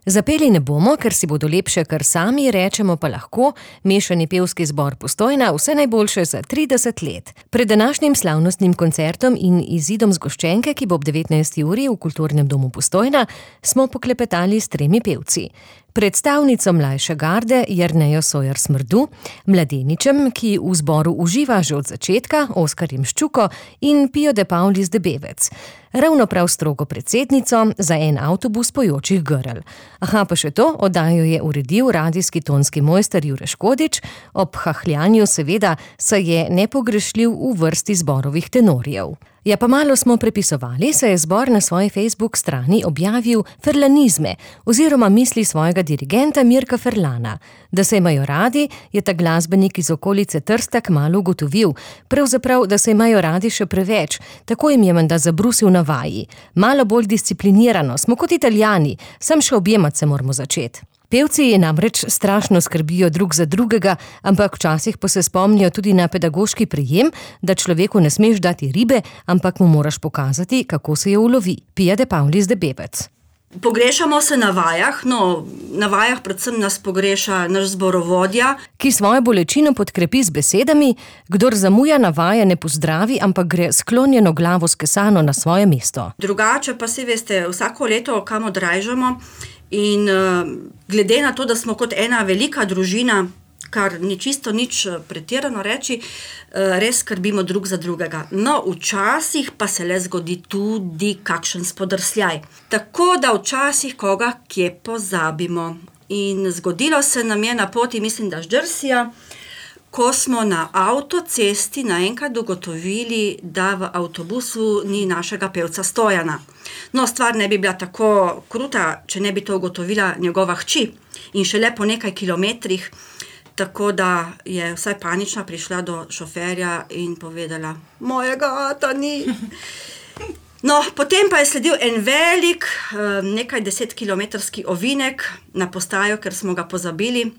Zapeli ne bomo, ker si bodo lepše kar sami, rečemo pa lahko, mešani pevski zbor Postojna vse najboljše za 30 let. Pred današnjim slavnostnim koncertom in izidom zgoščenke, ki bo ob 19. uri v Kulturnem domu Postojna, smo poklepetali s 3 pevci. Predstavnico mlajše garde Jernejo Sojer Smrdu, mladeničem, ki v zboru uživa že od začetka, Oskarjem Ščuko in Pijo de Paulis de Bevec. Ravno prav strogo predsednico za en avtobus pojočih grl. Aha, pa še to, oddajo je uredil radijski tonski mojster Jure Škodič, ob hahljanju seveda, saj je nepogrešljiv v vrsti zborovih tenorjev. Ja, pa malo smo prepisovali, saj je zbor na svoji Facebook strani objavil ferlanizme oziroma misli svojega dirigenta Mirka Ferlana. Da se imajo radi, je ta glasbenik iz okolice Trsta kmalu ugotovil, pravzaprav, da se imajo radi še preveč, tako jim je menda zabrusil na vaji. Malo bolj disciplinirano, smo kot Italijani, sam še objemat se moramo začeti. Pevci namreč strašno skrbijo drug za drugega, ampak včasih pa se spomnijo tudi na pedagoški prijem, da človeku ne smeš dati ribe, ampak mu moraš pokazati, kako se jo ulovi. Pija de Paulis de Bevec. Pogrešamo se na vajah, na vajah predvsem nas pogreša naš zborovodja, ki svojo bolečino podkrepi z besedami: kdor zamuja na vaje, ne pozdravi, ampak gre sklonjeno glavo skesano na svoje mesto. Drugače pa si veste, vsako leto kam odrajžamo in glede na to, da smo kot ena velika družina, kar ni čisto nič pretirano reči, res skrbimo drug za drugega. No, včasih pa se le zgodi tudi kakšen spodrsljaj. Tako da včasih koga kje pozabimo. In zgodilo se nam je na poti, mislim, da Ždrsija, ko smo na avtocesti naenkrat ugotovili, da v avtobusu ni našega pevca Stojana. No, stvar ne bi bila tako kruta, če ne bi to ugotovila njegova hči. In šele po nekaj kilometrih, tako da je vsaj panična prišla do šoferja in povedala: mojega ata ni. No, potem pa je sledil en velik, nekaj 10-kilometrski ovinek na postajo, ker smo ga pozabili.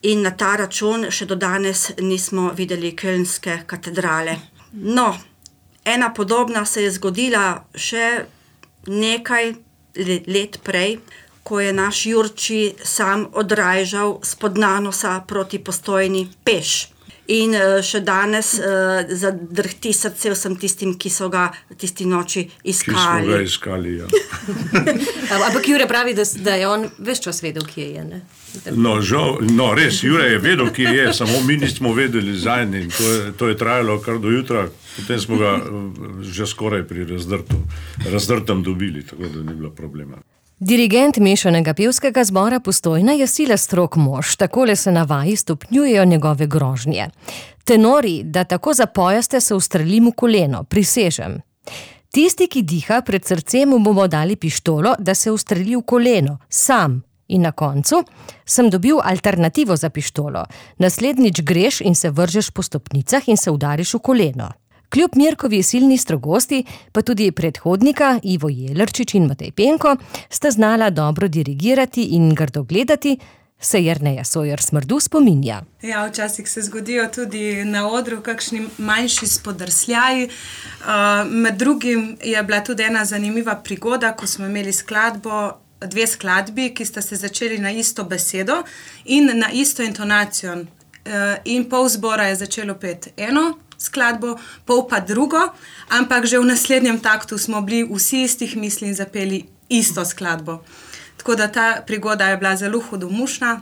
In na ta račun še do danes nismo videli Kölnske katedrale. No, ena podobna se je zgodila še nekaj let prej, ko je naš Jurči sam odrajžal spod Nanosa proti Postojni peš. In še danes zadrhti srce vsem tistim, ki so ga tisti noči iskali. Ki smo ga iskali, ja. Ampak Jure pravi, da je on ves čas vedel, kje je, ne? No, res, Jure je vedel, kje je, samo mi nismo vedeli zanj in to je trajalo kar do jutra, potem smo ga že skoraj pri razdrtem dobili, tako da ni bilo problema. Dirigent mešanega pevskega zbora Postojna je sila strog mož, takole se na vaji stopnjujejo njegove grožnje. Tenori, da tako zapojaste, se ustrelim v koleno, prisežem. Tisti, ki diha pred srcem, mu bomo dali pištolo, da se ustreli v koleno, sam. In na koncu sem dobil alternativo za pištolo. Naslednjič greš in se vržeš po stopnicah in se udariš v koleno. Kljub Mirkovi silni strogosti, pa tudi predhodnika Ivo Jelerčič in Matej Penko sta znala dobro dirigirati in grdo gledati, se Jerneja Sojer Smrdu spominja. Ja, včasih se zgodijo tudi na odru kakšni manjši spodrsljaji. Med drugim je bila tudi ena zanimiva prigoda, ko smo imeli skladbo, 2 skladbi, ki sta se začeli na isto besedo in na isto intonacijo. In pol zbora je začelo peti eno skladbo, pol pa drugo, ampak že v naslednjem taktu smo bili vsi istih misli in zapeli isto skladbo. Tako da ta prigoda je bila zelo hudomušna.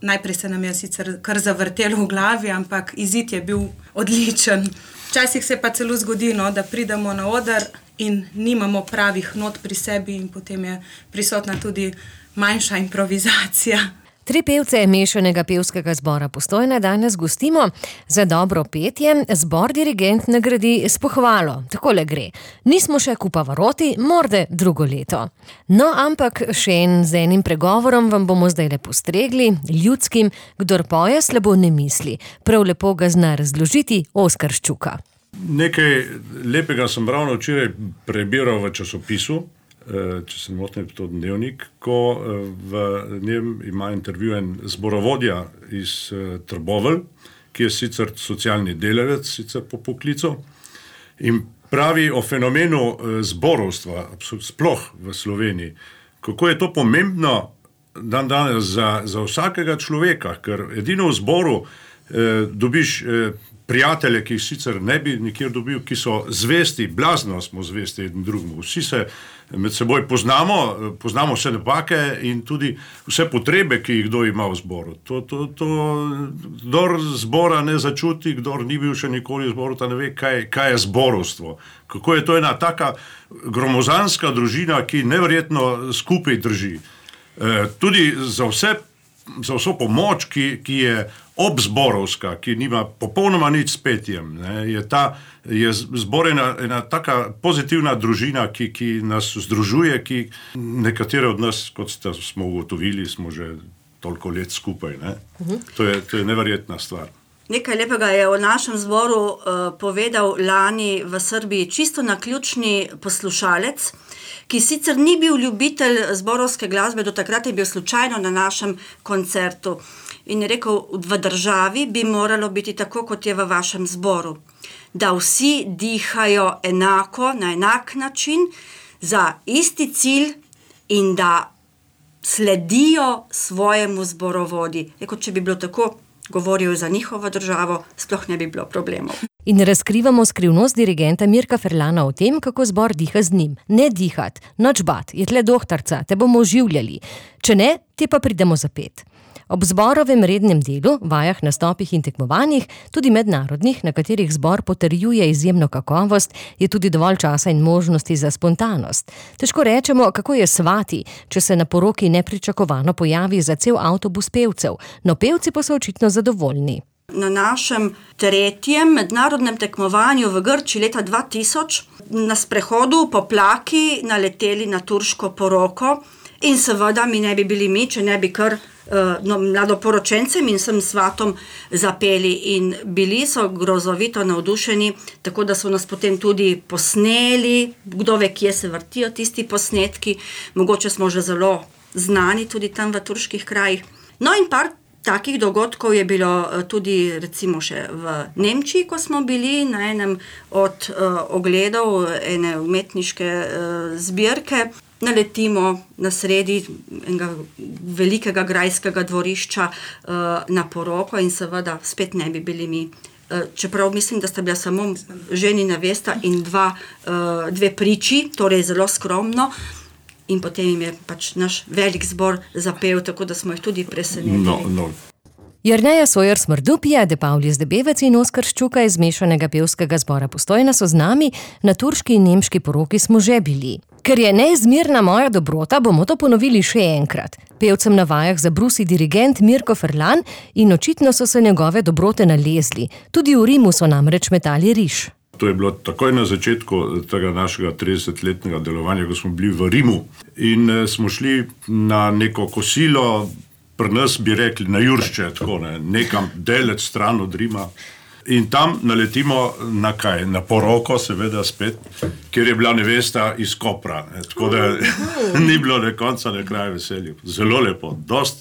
Najprej se nam je sicer kar zavrtelo v glavi, ampak izid je bil odličen. Včasih se pa celo zgodi, da pridemo na oder in nimamo pravih not pri sebi in potem je prisotna tudi manjša improvizacija. 3 pevce mešanega pevskega zbora Postojna danes gostimo. Za dobro petje zbor dirigent nagradi s pohvalo. Takole gre. Nismo še kupavaroti, morde drugo leto. No, ampak še z enim pregovorom vam bomo zdaj le postregli, ljudskim: kdor poje, slabo ne misli. Prav lepo ga zna razložiti Oskar Ščuka. Nekaj lepega sem ravno včeraj prebiral v časopisu, če se ne motim, to Dnevnik, ko v njem ima intervju en zborovodja iz Trbovelj, ki je sicer socialni delavec, sicer po poklicu, in pravi o fenomenu zborovstva, sploh v Sloveniji, kako je to pomembno, danes za vsakega človeka, ker edino v zboru dobiš prijatelje, ki jih sicer ne bi nikjer dobil, ki so zvesti, blazno smo zvesti eden drugemu. Vsi se med seboj poznamo vse napake in tudi vse potrebe, ki jih kdo ima v zboru. Kdor zbora ne začuti, kdor ni bil še nikoli v zboru, ta ne ve, kaj je zborovstvo. Kako je to ena taka gromozanska družina, ki neverjetno skupaj drži. Tudi za vso pomoč, ki je obzborovska, ki nima popolnoma nič s petjem, je zbor ena taka pozitivna družina, ki nas združuje, ki nekatere od nas, kot smo ugotovili, smo že toliko let skupaj. To je neverjetna stvar. Nekaj lepega je o našem zboru povedal lani v Srbiji čisto naključni poslušalec, ki sicer ni bil ljubitelj zborovske glasbe, do takrat je bil slučajno na našem koncertu. In je rekel, v državi bi moralo biti tako, kot je v vašem zboru. Da vsi dihajo enako, na enak način, za isti cilj in da sledijo svojemu zborovodji. Rekel, če bi bilo tako, govoril za njihovo državo, sploh ne bi bilo problemov. In razkrivamo skrivnost dirigenta Mirka Ferlana o tem, kako zbor diha z njim. Ne dihat, noč bat, je tle dohtarca, te bomo oživljali. Če ne, te pa pridemo zapet. Ob zborovem rednem delu, vajah, nastopih in tekmovanjih, tudi mednarodnih, na katerih zbor potrjuje izjemno kakovost, je tudi dovolj časa in možnosti za spontanost. Težko rečemo, kako je svati, če se na poroki nepričakovano pojavi za cel avtobus pevcev, no pevci pa so očitno zadovoljni. Na našem 3. mednarodnem tekmovanju v Grčiji leta 2000 na sprehodu po Plaki naleteli na turško poroko in seveda mi ne bi bili če ne bi kar mladoporočencem in vsem svatom zapeli in bili so grozovito navdušeni, tako da so nas potem tudi posneli, kdo ve, kje se vrtijo tisti posnetki, mogoče smo že zelo znani tudi tam v turških krajih. No in par takih dogodkov je bilo tudi recimo še v Nemčiji, ko smo bili na enem od ogledov ene umetniške zbirke. Naletimo na sredi enega velikega grajskega dvorišča na poroko in seveda spet ne bi bili mi. Čeprav mislim, da sta bila samo ženi nevesta in dve priči, torej zelo skromno. In potem jim je pač naš velik zbor zapel, tako da smo jih tudi presenetili. Jerneja Sojer-Smrdup, De Pavlis Debevec in Oskar Ščuka iz mešanega pevskega zbora Postojna so z nami, na turški in nemški poroki smo že bili. Ker je neizmerna moja dobrota, bomo to ponovili še enkrat. Pevcem na vajah zabrusi dirigent Mirko Ferlan in očitno so se njegove dobrote nalezli. Tudi v Rimu so namreč metali riž. To je bilo takoj na začetku tega našega 30-letnega delovanja, ko smo bili v Rimu in smo šli na neko kosilo, pri nas bi rekli na Juršče, tako nekam daleč stran od Rima. In tam naletimo na kaj? Na poroko, seveda spet, kjer je bila nevesta iz Kopra. Tako da ni bilo ne konca, ne kraja veselja. Zelo lepo,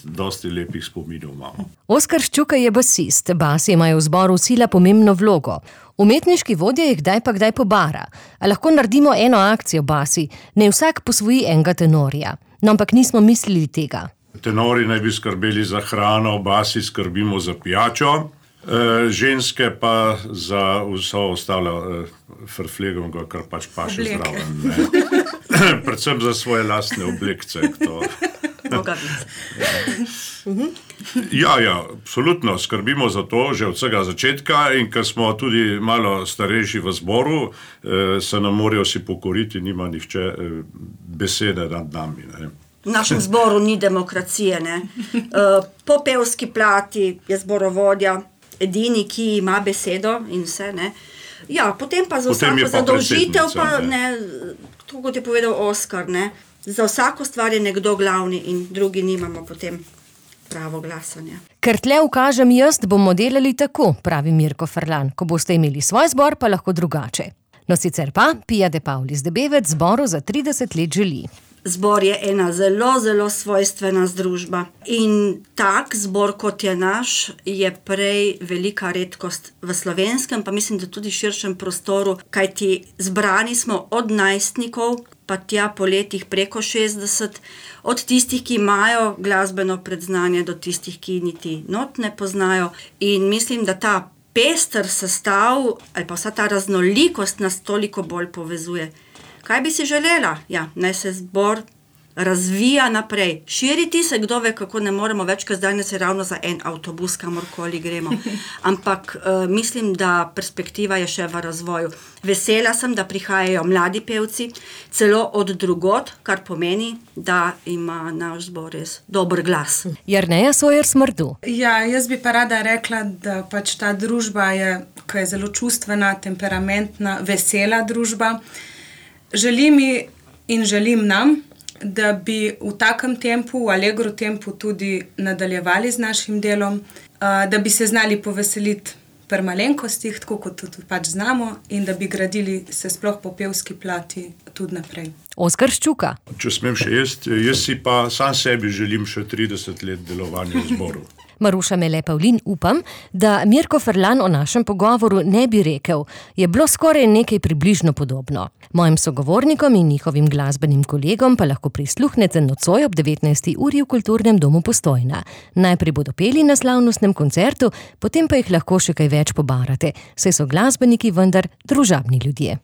dosti lepih spominov imamo. Oskar Ščuka je basist, basi imajo v zboru sila pomembno vlogo. Umetniški vodja jih kdaj pa kdaj pobara. A lahko naredimo eno akcijo basi, ne vsak posvoji enega tenorja. No, ampak nismo mislili tega. Tenori naj bi skrbeli za hrano, basi skrbimo za pijačo, ženske pa za vso ostalo frflegom, kar pač paše zraven. Predvsem za svoje lastne oblekce. Ja, absolutno skrbimo za to že od vsega začetka in ker smo tudi malo starejši v zboru, se nam morajo si pokoriti, nima nihče besede nad nami. V našem zboru ni demokracije. Po pevski plati je zborovodja edini, ki ima besedo in vse. Ja, potem pa za vsako zadolžitev, to kot je povedal Oskar, za vsako stvar je nekdo glavni in drugi nimamo potem pravo glasanje. Ker tle ukažem jaz, bomo delali tako, pravi Mirko Ferlan. Ko boste imeli svoj zbor, pa lahko drugače. No sicer pa, De Pavlis Debevec zboru za 30 let želi. Zbor je ena zelo, zelo svojstvena združba. In tak zbor, kot je naš, je prej velika redkost v slovenskem, pa mislim, da tudi širšem prostoru, kajti zbrani smo od najstnikov pa tja po letih preko 60, od tistih, ki imajo glasbeno predznanje, do tistih, ki niti not ne poznajo. In mislim, da ta pester sestav ali pa vsa ta raznolikost nas toliko bolj povezuje. Kaj bi si želela? Ja, naj se zbor razvija naprej. Širiti se, kdo ve, kako ne moremo več, ker zdaj se ravno za en avtobus kamorkoli gremo. Ampak mislim, da perspektiva je še v razvoju. Vesela sem, da prihajajo mladi pevci, celo od drugod, kar pomeni, da ima naš zbor res dober glas. Jerneja Sojer Smrdu. Ja, jaz bi pa rada rekla, da pač ta družba je, ki je zelo čustvena, temperamentna, vesela družba. Želim nam, da bi v takem tempu, v allegro tempu tudi nadaljevali z našim delom, da bi se znali poveseliti pri malenkostih, tako kot tudi pač znamo, in da bi gradili se sploh po pevski plati tudi naprej. Oskar Ščuka. Če smem še jaz si pa sam sebi želim še 30 let delovanja v zboru. Maruša Mele Pavlin, upam, da Mirko Ferlan o našem pogovoru ne bi rekel, je bilo skoraj nekaj približno podobno. Mojim sogovornikom in njihovim glasbenim kolegom pa lahko prisluhnete nocoj ob 19. uri v Kulturnem domu Postojna. Najprej bodo peli na slavnostnem koncertu, potem pa jih lahko še kaj več pobarate, saj so glasbeniki vendar družabni ljudje.